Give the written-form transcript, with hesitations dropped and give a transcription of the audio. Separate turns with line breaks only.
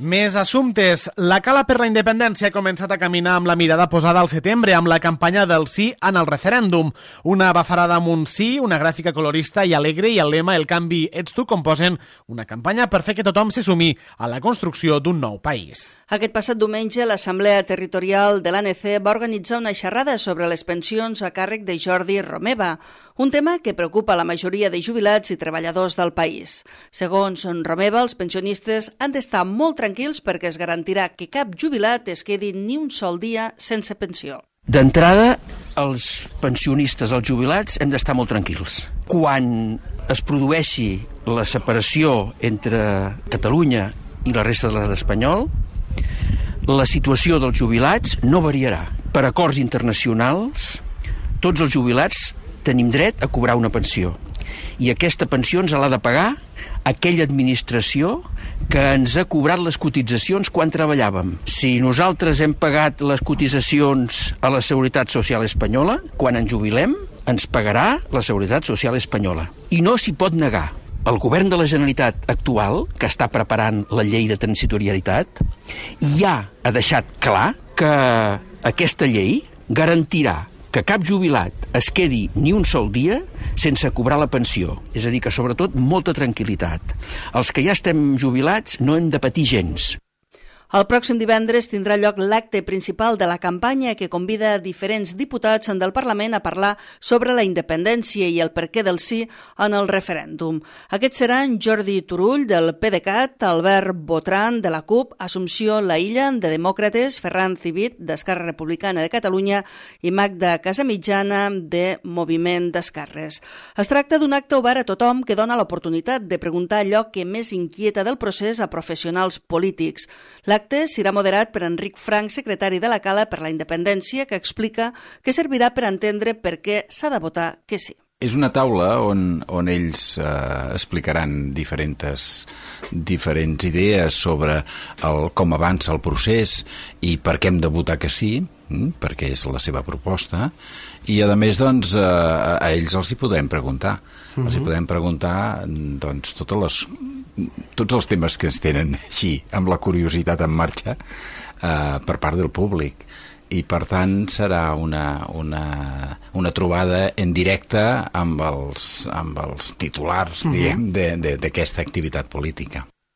Més assumptes. La Cala per la Independència ha començat a caminar amb la mirada posada al setembre amb la campanya del sí en el referèndum. Una bafarada amb un sí, una gràfica colorista i alegre i el lema "El canvi ets tu" composen una campanya per fer que tothom se sumi a la construcció d'un nou país.
Aquest passat diumenge, l'Assemblea Territorial de l'ANC va organitzar una xerrada sobre les pensions a càrrec de Jordi Romeva, un tema que preocupa la majoria de jubilats i treballadors del país. Segons Romeva, els pensionistes han d'estar molt tranquils perquè es garantirà que cap jubilat es quedi ni un sol dia sense pensió.
D'entrada, els pensionistes, els jubilats, hem d'estar molt tranquils. Quan es produeixi la separació entre Catalunya i la resta de l'estat espanyol, la situació dels jubilats no variarà. Per acords internacionals, tots els jubilats tenim dret a cobrar una pensió. I aquesta pensió ens l'ha de pagar aquella administració que ens ha cobrat les cotitzacions quan treballàvem. Si nosaltres hem pagat les cotitzacions a la Seguretat Social Espanyola, quan ens jubilem, ens pagarà la Seguretat Social Espanyola. I no s'hi pot negar. El govern de la Generalitat actual, que està preparant la llei de transitorietat, ja ha deixat clar que aquesta llei garantirà que cap jubilat es quedi ni un sol dia sense cobrar la pensió. És a dir, que sobretot molta tranquil·litat. Els que ja estem jubilats no hem de patir gens.
El pròxim divendres tindrà lloc l'acte principal de la campanya que convida diferents diputats del Parlament a parlar sobre la independència i el perquè del sí en el referèndum. Aquests seran Jordi Turull, del PDeCAT, Albert Botran, de la CUP, Assumpció Laïlla, de Demòcrates, Ferran Civit, d'Esquerra Republicana de Catalunya i Magda Casamitjana, de Moviment d'Esquerres. Es tracta d'un acte obert a tothom que dona l'oportunitat de preguntar allò que més inquieta del procés a professionals polítics. L'acte serà moderat per Enric Frank, secretari de la Cala per la Independència, que explica que servirà per entendre per què s'ha de votar que sí.
És una taula on ells explicaran diferents idees sobre com avança el procés i per què hem de votar que sí, perquè és la seva proposta, i a més doncs, a ells els hi podem preguntar. Els hi podem preguntar doncs, tots els temes que ens tenen així, amb la curiositat en marxa per part del públic. I per tant serà una trobada en directe amb els titulars, diguem, d'aquesta activitat política.